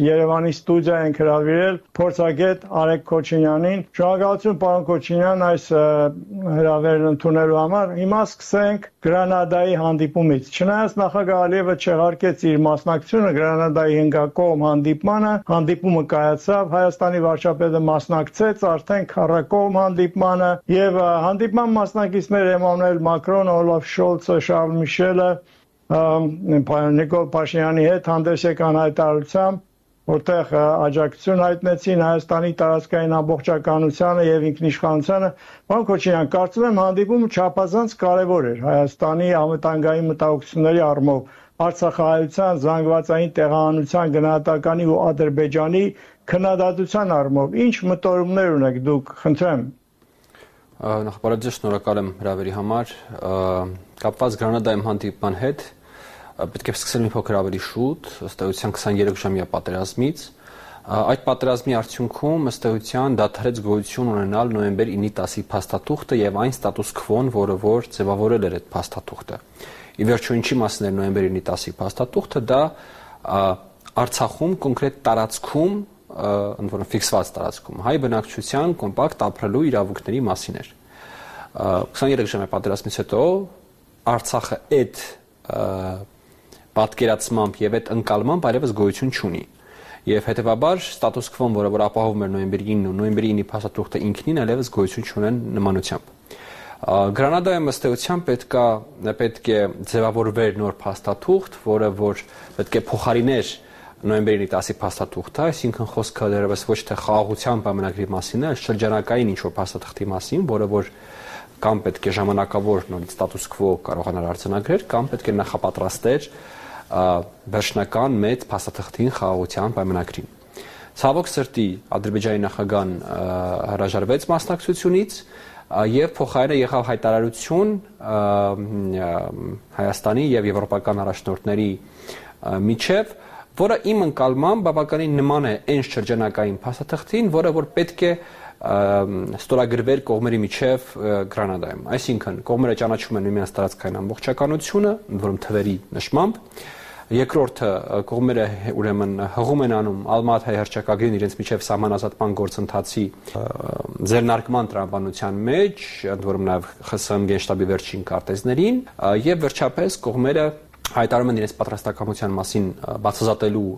Երևանի ստուդիա ենք հրավիրել փորձագետ Արեգ Քոչինյանին։ Շնորհակալություն պարոն Քոչինյան այս հրավերն ընդունելու համար։ Հիմա սկսենք Գրանադայի հանդիպումից։ Չնայած նախագահ Ալիևը չեղարկեց իր մասնակցությունը Գրանադայի հնգակողմ հանդիպմանը, հանդիպումը կայացավ, Հայաստանի վարչապետը մասնակցեց արդեն քառակողմ հանդիպմանը եւ հանդիպման մասնակիցներ Էմանուել Մակրոնը, Օլաֆ Շոլցը, Շարլ Միշելը Նիկոլ Փաշինյանի հետ հանդես եկան հայտարարությամբ, որտեղ աջակցություն հայտնեցին Հայաստանի տարածքային ամբողջականությանը եւ ինքնիշխանությանը։ Պարոն Քոչինյան, կարծում եմ հանդիպումը չափազանց կարեւոր էր Հայաստանի անվտանգային մտահոգությունների առումով, Արցախահայության, զանգվածային տեղահանության, գնահատականի ու Ադրբեջանի քննադատության առումով։ Ինչ մտորումներ ունեք դուք, խնդրեմ։ Նախ շնորհակալ եմ հրավերի համար։ Կապված Գրանադայում հանդիպման հետ պետք է սկսել մի փոքր ավելի շուտ, ըստ էության 23 ժամյա պատերազմից։ Այդ պատերազմի արդյունքում ըստ էության դադարեց գոյություն ունենալ նոյեմբեր 9-10-ի փաստաթուղթը եւ այն ստատուս քվոն, որը որ ձևավորել էր այդ փաստաթուղթը։ Ի վերջո ինչի մասին էր նոյեմբեր 9-10-ի փաստաթուղթը, դա Արցախում կոնկրետ տարածքում, ընդ որում ֆիքսված տարածքում, հայ բնակչության կոմպակտ ապրելու իրավունքների մասին էր։ 23 ժամյա պատերազմից հետո Արցախը այդ պատկերացմամբ եւ այդ ընկալմամբ այլևս գոյություն չունի։ Եվ հետեւաբար ստատուս քվոն, որը որ ապահովում էր նոյեմբերի 9-ը ու նոյեմբերի 9-ի փաստաթուղթը ինքնին այլևս գոյություն չունեն նմանությամբ։ Գրանադայում ըստ էության պետք է ձևավորվեր նոր փաստաթուղթ, որը որ պետք է փոխարիներ նոյեմբերի 10-ի փաստաթուղթը, այսինքն խոսքը դեռևս ոչ թե խաղաղության պայմանագրի մասին է, այլ շրջանակային ինչ-որ փաստաթղթի մասին, որը որ կամ պետք է ժամանակավոր նորից ստատուս քվո կարողանար արձանագրել, կամ պետք է նախապատրաստեր վերջնական մեծ փաստաթղթին խաղաղության պայմանագրին։ Ցավոք սրտի Ադրբեջանի նախագահան հրաժարվեց մասնակցությունից եւ փոխարենը եղավ հայտարարություն Հայաստանի եւ եվրոպական առաջնորդների միջև, որը իմ ընկալմամբ բավականին նման է այն շրջանակային փաստաթղթին, որը որ պետք է ստորագրվեր կողմերի միջև Գրանադայում։ Այսինքն կողմերը ճանաչում են միմյանց տարածքային ամբողջականությունը, ընդ որում թվերի նշմամբ, երկրորդը կողմերը ուրեմն հղում են անում Ալմատայի հռչակագրին իրենց միջև սահմանազատման գործընթացի ձեռնարկման տրամաբանության մեջ, ընդ որում նաև ԽՍՀՄ գենշտաբի վերջին քարտեզներին, եւ վերջապես կողմերը հայտարարում են իրենց պատրաստակամության մասին բացազատելու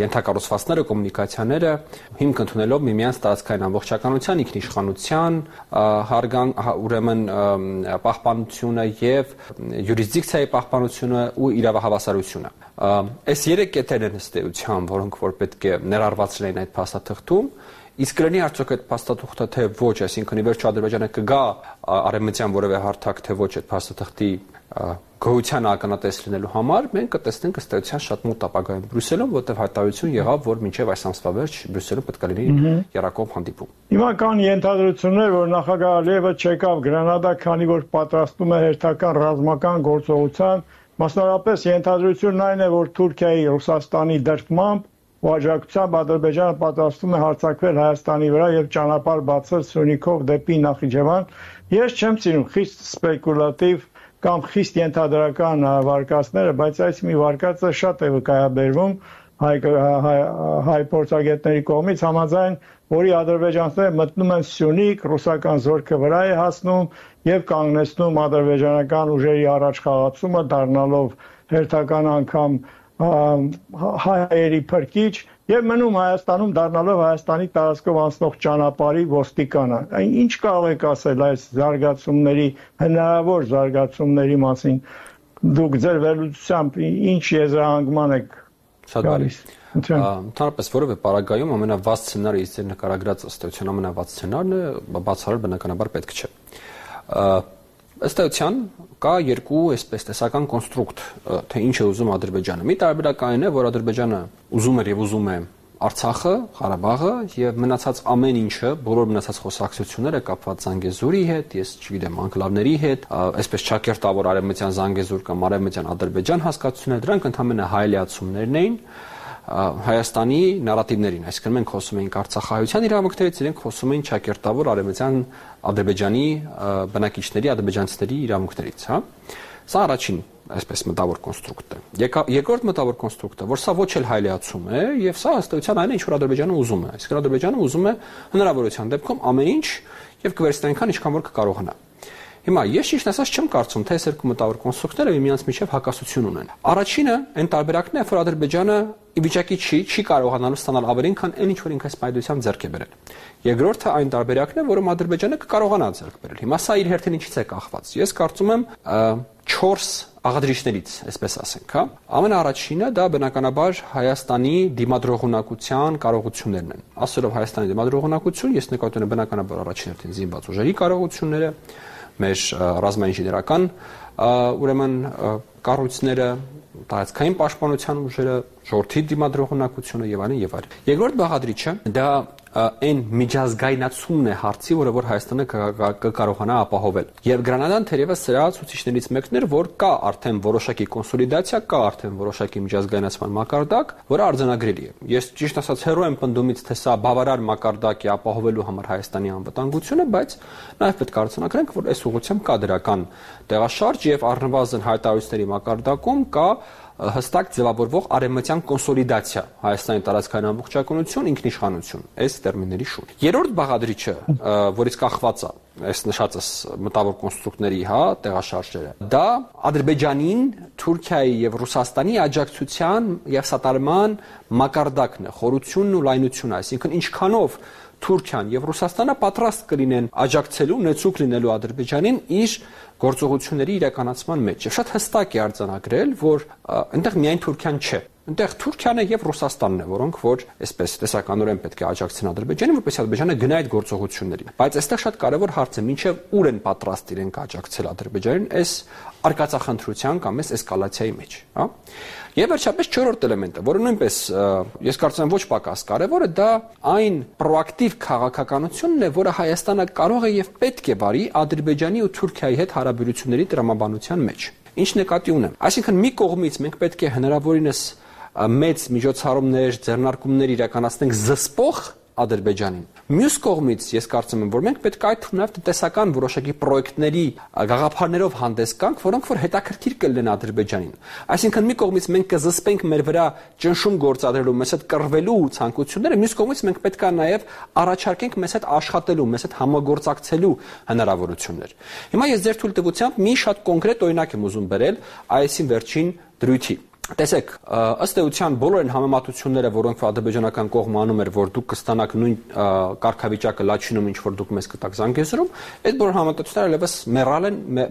ենթակառուցվածքները, կոմունիկացիաները, հիմք ընդունելով միմյանց տարածքային ամբողջականության, ինքնիշխանության, ուրեմն պահպանությունը եւ յուրիսդիկցիայի պահպանությունը ու իրավահավասարությունը։ Այս երեք կետերն են ըստ էության, որոնք որ պետք է ներառված լինեն այդ փաստաթղթում, իսկ կլինի արդյոք այդ փաստաթուղթը թե ոչ, այսինքն ի վերջո Ադրբեջանը կգա արևմտյան որևէ հարթակ թե ոչ այդ փաստաթղթի գոյության ականատես լինելու համար, մենք կտեսնենք ըստ էության շատ մոտ ապագայում Բրյուսելում, որտեղ հայտարարություն եղավ, որ մինչև այս ամսվա վերջ Բրյուսելում պետք է լինի երակողմ հանդիպում։ Հիմա կան ենթադրություններ, որ նախագահ Ալիևը չեկավ Գրանադա, քանի որ պատրաստում է հերթական ռազմական գործողության, մասնավորապես ենթադրությունն այն է, որ Թուրքիայի, Ռուսաստանի դրդմամբ ու աջակցությամբ Ադրբեջանը պատրաստում է հարձակվել Հայաստանի վրա եւ ճանապարհ բացել Սյունիքով դեպի Նախիջևան։ Ես չեմ սիրում խիստ սպեկուլատիվ կամ խիստ ենթադրական վարկածները, բայց այս մի վարկածը շատ է վկայաբերվում հայ փորձագետների կողմից, համաձայն որի ադրբեջանցիները մտնում են Սյունիք, ռուսական զորքը վրա է հասնում եւ կանգնեցնում ադրբեջանական ուժերի առաջխաղացումը, դառնալով հերթական անգամ հայերի փրկիչ եւ մնում Հայաստանում, դառնալով Հայաստանի տարածքով անցնող ճանապարհի ոստիկանը։ Ինչ կարող եք ասել այս զարգացումների, հնարավոր զարգացումների մասին։ Դուք ձեր վերլուծությամբ ինչ եզրահանգման եք գալիս։ Ընդհանրապես որևէ պարագայում ամենավազ սցենարը ըստ նկարագրած ըստ էության ամենավազ սցենարն է, բացառել բնականաբար պետք չէ։ Ըստ էության կա երկու այսպես տեսական կոնստրուկտ, թե ինչ է ուզում Ադրբեջանը։ Մի տարբերակային է, որ Ադրբեջանը ուզում էր եւ ուզում է Արցախը, Ղարաբաղը եւ մնացած ամեն ինչը, բոլոր մնացած խոսակցությունները կապված Զանգեզուրի հետ, ես չգիտեմ, անկլավների հետ, այսպես ճակերտավոր արևմտյան Զանգեզուր կամ արևմտյան Ադրբեջան հասկացությունները, դրանք ընդհանրապես հայելիացումներն էին Հայաստանի նարատիվներին, այսինքն մենք խոսում էինք Արցախահայության իրավունքներից, իրենք խոսում էին ճակերտավոր արևմտյան Ադրբեջանի բնակիչների, ադրբեջանցիների իրավունքներից, հա։ Սա առաջին այսպես մտավոր կոնստրուկտ է։ Երկրորդ մտավոր կոնստրուկտը, որ սա ոչ էլ հայլիացում է, եւ սա ըստեյության այն է, ինչ որ Ադրբեջանը ուզում է։ Այսինքն Ադրբեջանը ուզում է հնարավորության դեպքում ամեն ինչ եւ կվերցնի այնքան, ինչքան որ կկարողանա։ Հիմա ես ճիշտ ասած չեմ կարծում, թե այս երկու մտավոր կոնստրուկտները միմյանց միջև հակասություն ունեն։ Առաջինը այն տարբերակն է, որ Ադրբեջանը ի վիճակի չի կարողանալու ստանալ ավելին, քան այն ինչ որ ինքը սպայդությամբ ձեռք է բերել։ Երկրորդը այն տարբերակն է, որում Ադրբեջանը կկարողանա ձեռք բերել։ Հիմա սա իր հերթին ինչից է կախված։ Ես կարծում եմ 4 աղադրիչներից, այսպես ասենք, հա։ Ամենաառաջինը դա բնականաբար Հայաստանի դիմադրողունակության կարողություններն են։ Ասելով Հայաստանի դիմադրողունակություն, ես նկատում եմ բնականաբար առաջին հերթին զինված ուժերի կարողությունները, մեր ռազմաինժեներական ուրեմն կառույցները, տարածքային պաշտպանության ուժերը, ժողովրդի դիմադրողունակությունը եւ այլն եւ այլն։ Երկրորդ բաղադրիչը դա այն միջազգայնացումն է հարցի, որը որ Հայաստանը կկարողանա ապահովել։ Եվ Գրանադան թերևս սրա ցուցիչներից մեկն էր, որ կա արդեն որոշակի կոնսոլիդացիա, կա արդեն որոշակի միջազգայնացման մակարդակ, որը արձանագրելի է։ Ես ճիշտ ասած հեռու եմ պնդումից, թե սա բավարար մակարդակ է ապահովելու համար Հայաստանի անվտանգությունը, բայց նաև պետք է արձանագրենք, որ այս ուղղությամբ կա դրական տեղաշարժ եւ առնվազն հայտարարությունների մակարդակում կա հստակ ձևավորվող արևմտյան կոնսոլիդացիա, Հայաստանի տարածքային ամբողջականություն, ինքնիշխանություն, այս տերմինների շուրջ։ Երրորդ բաղադրիչը, որից կախված է այս նշածս մտավոր կոնստրուկտների, տեղաշարժերը, դա Ադրբեջանին, Թուրքիայի եւ Ռուսաստանի աջակցության եւ սատարման մակարդակն է, խորությունն ու լայնությունը, այսինքն ինչքանով Թուրքիան եւ Ռուսաստանը պատրաստ կլինեն աջակցելու, նեցուկ լինելու Ադրբեջանին իր գործողությունների իրականացման մեջ։ Եվ շատ հստակ է արձանագրել, որ այնտեղ միայն Թուրքիան չէ։ Այնտեղ Թուրքիան է եւ Ռուսաստանն է, որոնք որ այսպես տեսականորեն պետք է աջակցեն Ադրբեջանին, որպեսզի Ադրբեջանը գնա այդ գործողություններին։ Բայց այստեղ շատ կարևոր հարց է, մինչեւ ուր են պատրաստ իրենք աջակցել Ադրբեջանին այս արկածախնդրության կամ այս էսկալացիայի մեջ, հա։ Եվ վերջապես չորրորդ էլեմենտը, որը նույնպես ես կարծում եմ ոչ պակաս կարևոր է, դա այն պրոակտիվ քաղաքականությունն է, որը Հայաստանը կարող է եւ պետք է վարի Ադրբեջանի ու Թուրքիայի հետ հարաբերությունների տրամաբանության մեջ։ Ինչ նկատի ունեմ։ Այսինքն մի կողմից մենք պետք է հնարավորինս մեծ միջոցառումներ, ձեռնարկումներ իրականացնենք զսպող Ադրբեջանին։ Մյուս կողմից ես կարծում եմ, որ մենք պետք է այդ նաև տնտեսական որոշակի պրոյեկտների գաղափարներով հանդես գանք, որոնք որ հետաքրքիր կլինեն Ադրբեջանին։ Այսինքն մի կողմից մենք կզսպենք մեր վրա ճնշում գործադրելու, մեզ հետ կռվելու ցանկությունները, մյուս կողմից մենք պետք է նաև առաջարկենք մեզ հետ աշխատելու, մեզ հետ համագործակցելու հնարավորություններ։ Հիմա ես ձեր թույլտվությամբ մի շատ կոնկրետ օրինակ եմ ուզում բերել այսին վերջին դրույթի։ Տեսեք, ըստ էության բոլոր այն համեմատությունները, որոնք ադրբեջանական կողմը անում էր, որ դուք կստանաք նույն կարգավիճակը Լաչինում, ինչ որ դուք մեզ կտաք Զանգեզուրում, այդ բոլոր համեմատությունները այլևս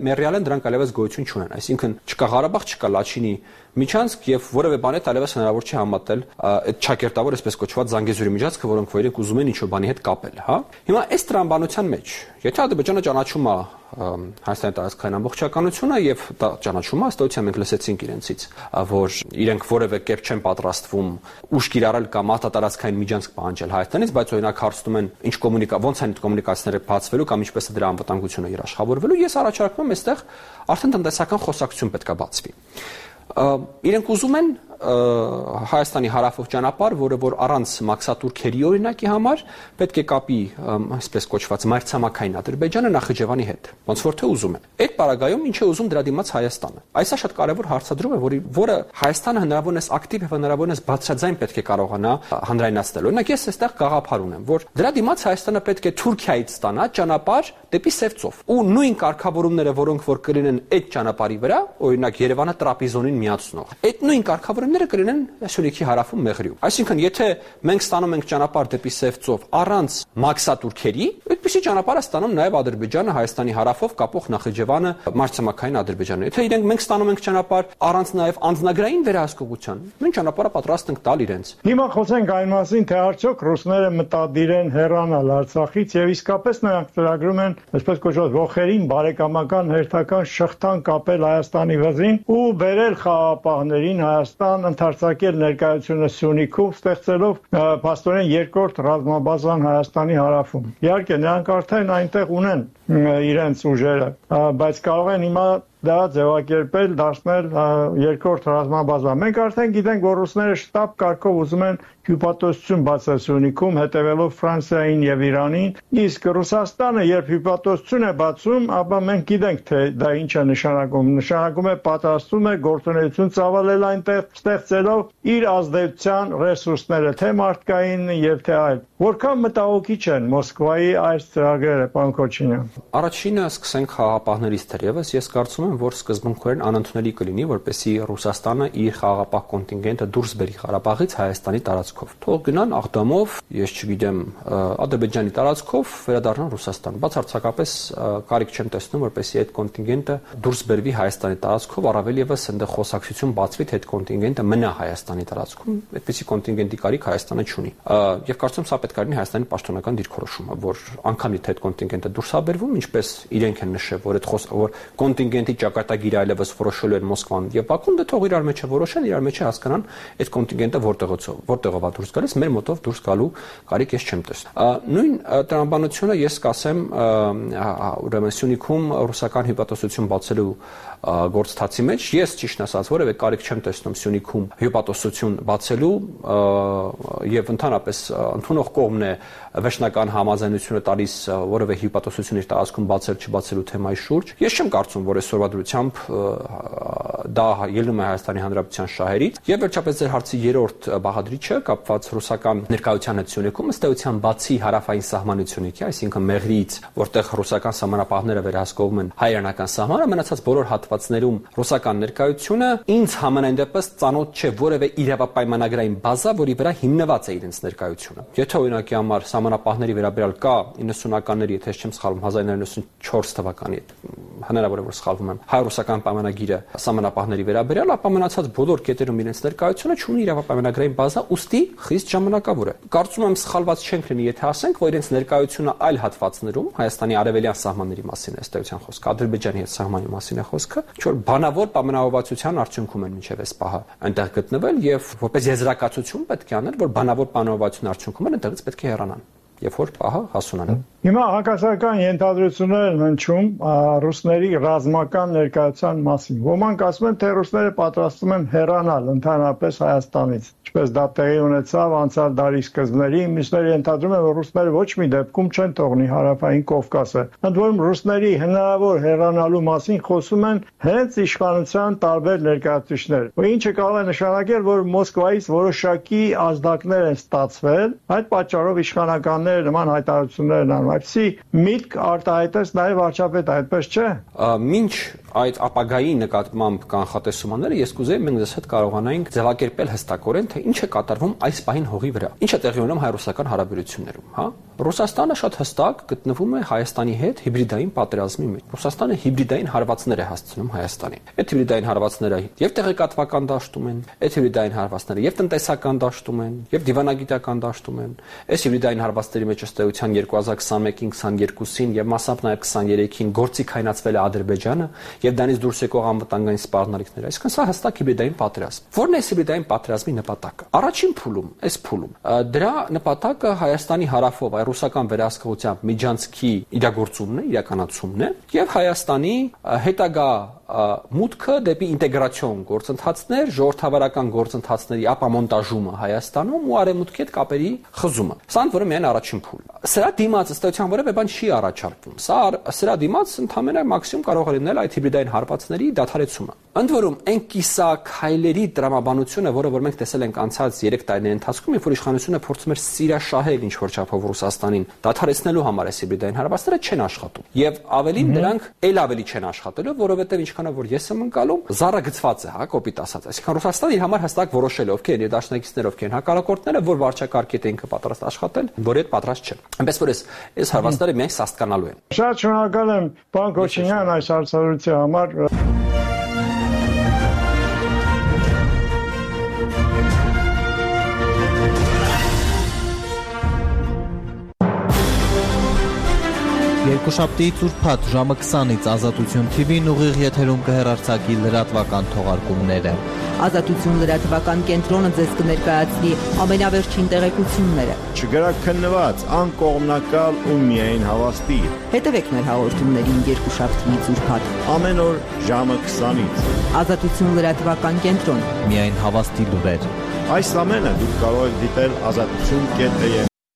մեռյալ են, դրանք այլևս գոյություն չունեն։ Այսինքն չկա Ղարաբաղ, չկա Լաչինի միջանցք եւ որևէ բան հետ այլևս հնարավոր չի համատել այդ ճակերտավոր այսպես կոչված Զանգեզուրի միջանցքը, որոնք որ իրենք ուզում են ինչ-որ բանի հետ կապել, հա։ Հիմա այս տրամաբանության մեջ, եթե Ադրբեջանը ճանաչում է Հայաստանի տարածքային ամբողջականությունը եւ դա ճանաչում է, ըստեյության մենք լսեցինք իրենցից, որ իրենք որևէ կերպ չեն պատրաստվում ուժ կիրառել կամ արտատարածքային միջանցք պահանջել Հայաստանից, բայց օրինակ հարցնում են ինչ ոնց են այդ կոմունիկացիաները բացվելու կամ ինչպես է դրա անվտանգությունը երաշխավորվելու, ես առաջարկում եմ այստեղ արդեն տնտեսական խոսակցություն պետք է բացվի։ Իրենք ուզում են Հայաստանի հարավով ճանապարհ, որը որ առանց մաքսատուրքերի օրինակի համար պետք է կապի այսպես կոչված մայրցամաքային Ադրբեջանը Նախիջևանի հետ։ Ոնց որ թե ուզում են։ Այդ պարագայում ինչ է ուզում դրա դիմաց Հայաստանը։ Այսա շատ կարևոր հարցադրում է, որը Հայաստանը հնարավորինս ակտիվ եւ հնարավորինս բարձրաձայն պետք է կարողանա հանրայնացնել։ Օրինակ ես այստեղ գաղափար ունեմ, որ դրա դիմաց Հայաստանը պետք է Թուրքիայից ստանա ճանապարհ դեպի Սևծով։ Ու նույն կարգավորումները, որոնք որ կլինեն այդ ճանապարհի վրա, օրինակ Երևանը Տրապիզոնին միացնող, այդ նույն կարգավորումները կլինեն Սյունիքի հարավում Մեղրիում։ Այսինքն, եթե մենք ստանում ենք ճանապարհ դեպի Սևծով առանց մաքսատուրքերի, այդպիսի ճանապարհ է ստանում նաև Ադրբեջանը Հայաստանի հարավով կապող Նախիջևանը մայրցամաքային Ադրբեջանը։ Եթե իրենք մենք ստանում ենք ճանապարհ առանց նաև անձնագրային վերահսկողության, նույն ճանապարհը պատրաստ ենք տալ իրենց։ Հիմա խոսենք այն մասին, թե արդյոք ռուսները մտադիր են հեռանալ Արցախից եւ իսկապես նրանք ծրագրում են այսպես կոչված ողերին բարեկամական հերթական շղթան կապել Հայաստանի վզին ու բերել խաղապահներին Հայաստան, ընդարձակել ներկայությունը Սյունիքում, ստեղծելով փաստորեն երկրորդ ռազմաբազան Հայաստանի հարավում։ Իհարկե նրանք արդեն այնտեղ ունեն իրենց ուժերը, բայց կարող են հիմա դա ձևակերպել, դարձնել երկրորդ ռազմաբազա։ Մենք արդեն գիտենք, որ ռուսները շտապ կարգով ուզում են հյուպատոսություն բացել Սյունիքում, հետևելով Ֆրանսիային եւ Իրանին, իսկ Ռուսաստանը երբ հյուպատոսություն է բացում, ապա մենք գիտենք, թե դա ինչ է նշանակում։ Նշանակում է պատրաստում է գործունեություն ծավալել այնտեղ, ստեղծելով իր ազդեցության ռեսուրսները, թե մարդկային եւ թե այլ։ Որքան մտահոգիչ են Մոսկվայի այս ծրագրերը, պարոն Քոչինյան։ Առաջինը սկսենք խաղաղապահներից թերևս, ես կարծում եմ, որ սկզբունքորեն անընդունելի կլինի, որպեսզի Ռուսաստանը իր խաղաղապահ կոնտինգենտը դուրս բերի Ղարաբաղից Հայաստանի տարածքով։ Թող գնան Աղդամով, ես չգիտեմ, Ադրբեջանի տարածքով վերադառնան Ռուսաստան։ Բացարձակապես կարիք չեմ տեսնում, որպեսզի այդ կոնտինգենտը դուրս բերվի Հայաստանի տարածքով, առավել եւս այնտեղ խոսակցություն բացվի, թե այդ կոնտինգենտը մնա Հայաստանի տարածքում։ Այդպիսի կոնտինգենտի կարիք Հայաստանը չունի։ Եվ կարծում եմ սա պետք է լինի Հայաստանի պաշտոնական դիրքորոշումը, որ անգամ եթե այդ կոնտինգենտը դուրս է բերվում, ինչպես իրենք են նշել, որ որ կոնտինգենտի ճակատագիրը այլևս որոշելու են Մոսկվան եւ Բաքուն, դե թող իրար մեջ որոշեն, իրար մեջ հասկանան այդ կոնտինգենտը որտեղով է դուրս գալիս, մեր մոտով դուրս գալու կարիք ես չեմ տեսնում։ Նույն տրամաբանությունը ես կասեմ ուրեմն Սյունիքում ռուսական հյուպատոսություն բացելու գործընթացի մեջ ես ճիշտ ասած որևէ կարիք չեմ տեսնում Սյունիքում հյուպատոսություն բացելու եւ ընդհանրապես ընդունող կողմն է վերջնական համաձայնությունը տալիս որևէ հյուպատոսություն իր տարածքում բացել չբացելու թեմայի շուրջ։ Ես չեմ կարծում, որ այսօրվա դրությամբ դա ելնում է Հայաստանի Հանրապետության շահերից։ Եվ վերջապես ձեր հարցի երրորդ բաղադրիչը կապված ռուսական ներկայության հետ Սյունիքում ըստ էության բացի հարավային սահմանությունից, այսինքն Մեղրիից, որտեղ ռուսական սահմանապահները վերահսկողում են հայ-իրանական սահմանը, մնացած բոլոր հատվածներում ռուսական ներկայությունը ինձ համենայն դեպս ծանոթ չէ որևէ իրավապայմանագրային բազա, որի վրա հիմնված է իրենց ներկայությունը։ Եթե օրինակի համար սահմանապահների վերաբերյալ կա 90-ականների, եթե չեմ սխալվում, 1994 թվականի, հնարավոր է որ սխալվում եմ, հայ-ռուսական պայմանագիրը սահմանապահների վերաբերյալ, ապա մնացած բոլոր կետերում իրենց ներկայությունը չունի իրավապայմանագրային բազա, ուստի խիստ ժամանակավոր է։ Կարծում եմ սխալված չենք լինի, եթե ասենք, որ իրենց ներկայությունը այլ հատվածներում Հայաստանի արևելյան սահմանների մասին է ըստ էության խոսքը, Ադրբեջանի հետ սահմանի մասին է խոսքը, ինչ-որ բանավոր պայմանավորվածության արդյունքում են մինչև այս պահը այնտեղ գտնվել եւ որպես եզրակացություն պետք է անել, որ բանավոր պայմանավորվածության արդյունքում են այնտեղից պետք է հեռանան եւ որ պահը հասունանա։ Հիմա հակասական ենթադրություններ են հնչում ռուսների ռազմական ներկայության մասին։ Ոմանք ասում են, թե ռուսները պատրաստվում են հեռանալ ընդհանրապես Հայաստանից, ինչպես դա տեղի ունեցավ անցյալ դարի սկզբներին, մյուսները ենթադրում են, որ ռուսները ոչ մի դեպքում չեն թողնի հարավային Կովկասը։ Ընդ որում ռուսների հնարավոր հեռանալու մասին խոսում են հենց իշխանության տարբեր ներկայացուցիչներ, ինչը կարող է նշանակել, որ Մոսկվայից որոշակի ազդակներ են ստացվել, այդ պատճառով իշխանականները նման հայտարարություններ են անում։ Այսի միտք արտահայտեց նաև վարչապետը, այդպես չէ։ Մինչ այդ ապագայի նկատմամբ կանխատեսումները ես կուզեի մենք ձեզ հետ կարողանայինք ձևակերպել հստակորեն, թե ինչ է կատարվում այս պահին հողի վրա։ Ինչ է տեղի ունենում հայ-ռուսական հարաբերություններում, հա։ Ռուսաստանը շատ հստակ գտնվում է Հայաստանի հետ հիբրիդային պատերազմի մեջ։ Ռուսաստանը հիբրիդային հարվածներ է հասցնում Հայաստանին։ Այդ հիբրիդային հարվածները եւ տեղեկատվական դաշտում են, այդ հիբրիդային հարվածները եւ տնտեսական դաշտում են, եւ դիվանագիտական դաշտում են։ Այս հիբրիդային հարվածների մեջ ըստ էության 2021-ին, 22-ին եւ մասամբ նաեւ 23-ին գործի քայնացվել է Ադրբեջանը եւ դրանից դուրս եկող անվտանգային սպառնալիքները։ Այսինքն սա հստակ հիբրիդային պատերազմ։ Որն է հիբրիդային պատերազմի նպատակը։ Առաջին փուլում, այս փուլում դրա նպատակը Հայաստանի հարավով ռուսական վերահսկողությամբ միջանցքի իրագործումն է, իրականացումն է եւ Հայաստանի հետագա մուտքը դեպի ինտեգրացիոն գործընթացներ, ժողովրդավարական գործընթացների ապամոնտաժումը Հայաստանում ու արևմուտքի հետ կապերի խզումը։ Սա ընդորը միայն առաջին փուլն է։ Սրա դիմաց ըստ էության որևէ բան չի առաջարկվում։ Սրա դիմաց ընդհանրապես մաքսիմում կարող է լինել այդ հիբրիդային հարվածների դադարեցումը։ Ընդ որում այն կիսաքայլերի տրամաբանությունը, որը որ մենք տեսել ենք անցած 3 տարիների ընթացքում, երբ որ իշխանությունը փորձում էր սիրաշահել ինչ որ չափով Ռուսաստանին դադարեցնելու համար այս հիբրիդային հարվածները չեն աշխատում։ Եվ ավելին դրանք ել ավելի չեն աշխատելու, որովհետև ինչքանով որ ես եմ ընկալում, զառը գծված է, հա, կոպիտ ասած։ Այսինքն Ռուսաստանը իր համար հստակ որոշել է, ովքեր են իր դաշնակիցները, ովքեր են հակառակորդները, որ վարչակարգի հետ ինքը պատրաստ աշխատել, որ այդ պատրաստ չեն։ Այնպես որ այս հարվածները միայն սաստկանալու են։ Շատ շնորհակալ եմ, պարոն Քոչինյան, այս հարցազրույցի համար։ Երկուշաբթի ծուրփաթ ժամը 20-ից Ազատություն TV-ն ուղիղ եթերում կհեռարձակի լրատվական թողարկումները։ Ազատություն լրատվական կենտրոնը ձեզ կներկայացնի ամենավերջին տեղեկությունները։ Չգրաքննված, անկողմնակալ ու միայն հավաստի։ Հետևեք մեր հաղորդումներին երկուշաբթի ծուրփաթ Ամեն օր ժամը 20-ից։ Ազատություն լրատվական կենտրոն։ Միայն հավաստի լուրեր։ Այս ամենը դուք կարող եք դիտել azatutun.am